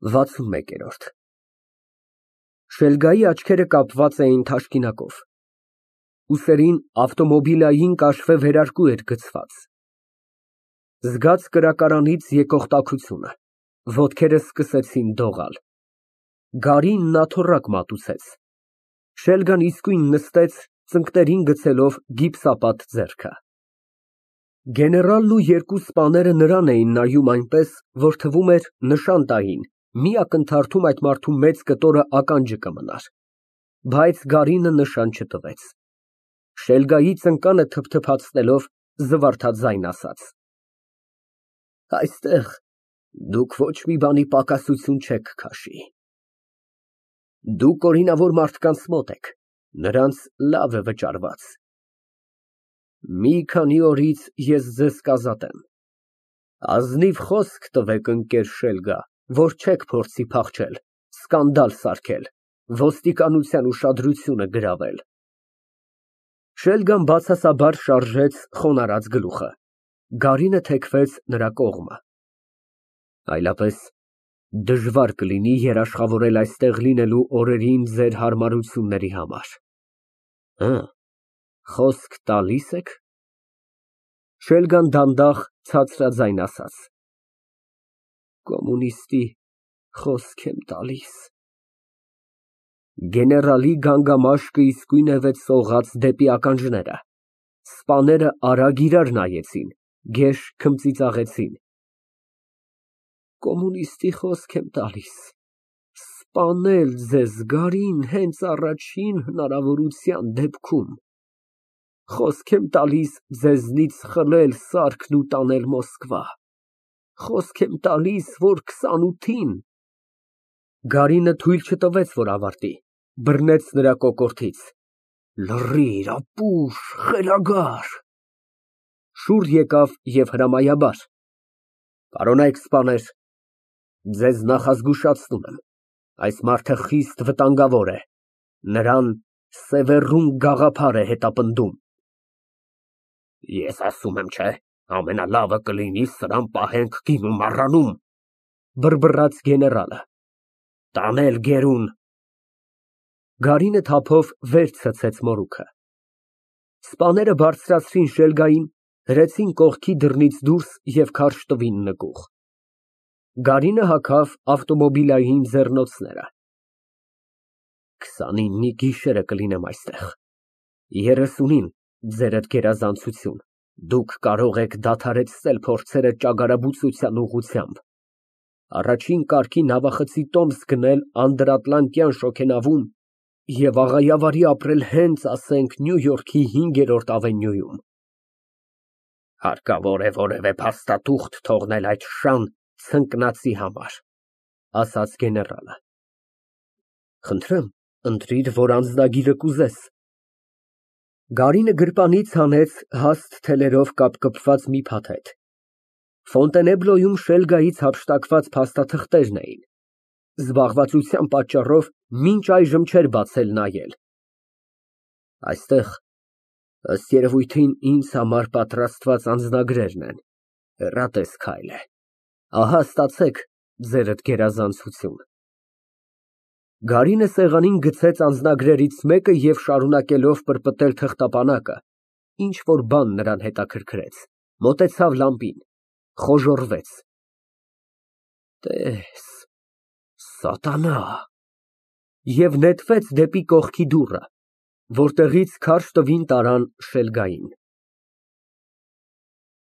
61։ Շելգայի աչքերը կապված էին թաշկինակով, ուսերին ավտոմոբիլային կաշվե վերարկու էր գցված։ Զգաց կրակարանից եկող տաքությունը, ոտքերը սկսեցին դողալ։ Գարինն աթոռակ մատուցեց։ Շելգան իսկույն նստեց, ծնկներին գցելով գիպսապատ ձեռքը։ Գեներալն ու երկու սպաները նրան էին նայում այնպես, որ թվում էր նշան տային, մի ակնթարթում այդ մարդու մեծ կտորը ականջը կմնար, բայց Գարինը նշան չտվեց։ Շելգայի ծնկանը թփթփացնելով զվարթաձայն ասաց. Այստեղ դուք ոչ մի բանի պակասություն չեք քաշի։ Դուք օրինավոր մարդկանց մոտ եք, նրանց լավ է վճարված։ Մի քանի օրից ես ձեզ կազատեմ։ Ազնիվ խոսք տվեք, ընկեր Շելգա, որ չեք փորձի փախչել, սկանդալ սարքել, ոստիկանության ուշադրությունը գրավել։ Շելգան բացասաբար շարժեց խոնարհած գլուխը։ Գարինը թեքվեց նրա կողմը։ Այլապես դժվար կլինի երաշխավորել այստեղ լինելու օրերին ձեր հարմարությունների համար։ Խոսք տալի՞ս եք։ Շելգան դանդաղ ցածրաձայն ասաց. Կոմունիստի խոսք եմ տալիս։ Գեներալի գանգամաշկը իսկույնևեթ սողաց դեպի ականջները։ Սպաները արագ իրար նայեցին, գեշ քմծիծաղեցին։ Կոմունիստի խոսք եմ տալիս, սպանել ձեզ, Գարին, հենց առաջին հնարավորության դեպքում։ Խոսք եմ տալիս ձեզնից խլել սարքն ու տանել Մոսկվա։ Խոսք եմ տալիս, որ 28-ին… Գարինը թույլ չտվեց, որ ավարտի, բռնեց նրա կոկորդից։ Լռիր, ապուշ, խելագար։ Շուռ եկավ և հրամայաբար. Պարոնայք սպաներ, ձեզ նախազգուշացնում եմ, այս մարդը խիստ վտանգավոր է, նրան Սևեռուն գաղափար է հետապնդում։ Ես ասում եմ, չէ, ամենալավը կլինի սրան պահենք գինու մառանում, բռբռաց գեներալը։ Տանել գերուն։ Գարինը թափով վեր ցցեց մորուքը։ Սպաները բարձրացրին Շելգային, հրեցին կողքի դռնից դուրս և քարշ տվին նկուղ։ Գարինը հագավ ավտոմոբիլային ձեռնոցները։ 29-ի գիշերը կլինեմ այստեղ, 30-ին ձերդ գերազանցություն, դուք կարող եք դադարեցնել փորձերը ճագարաբուծության ուղղությամբ, առաջին կարգի նավախցի տոմս գնել անդրատլանտյան շոգենավում և աղայավարի ապրել հենց, ասենք, Նյու Յորքի 5-րդ ավենյուում։ Հարկավոր է որևէ փաստաթուղթ թողնել այդ շան ցնկնացի համար, ասաց գեներալը։ Խնդրեմ, ընտրիր, որ անձնագիրը կուզես։ Գարինը գրպանից հանեց հաստ թելերով կապկպված մի փաթեթ։ Ֆոնտենեբլոյում Շելգայից հափշտակված փաստաթղթերն էին։ Զբաղվածության պատճառով մինչ այժմ չէր բացել նայել։ Այստեղ, ըստ երևույթին, ինձ համար պատրաստված անձնագրերն են, հեռատես քայլ է։ Ահա ստացեք ձերդ գերազանցություն։ Գարինը սեղանին գցեց անձնագրերից մեկը և շարունակելով պրպտել թղթապանակը, ինչ֊որ բան նրան հետաքրքրեց, մոտեցավ լամպին, խոժոռվեց։ Տես, սատանա… Եվ նետվեց դեպի կողքի դուռը, որտեղից քարշ տվին տարան Շելգային։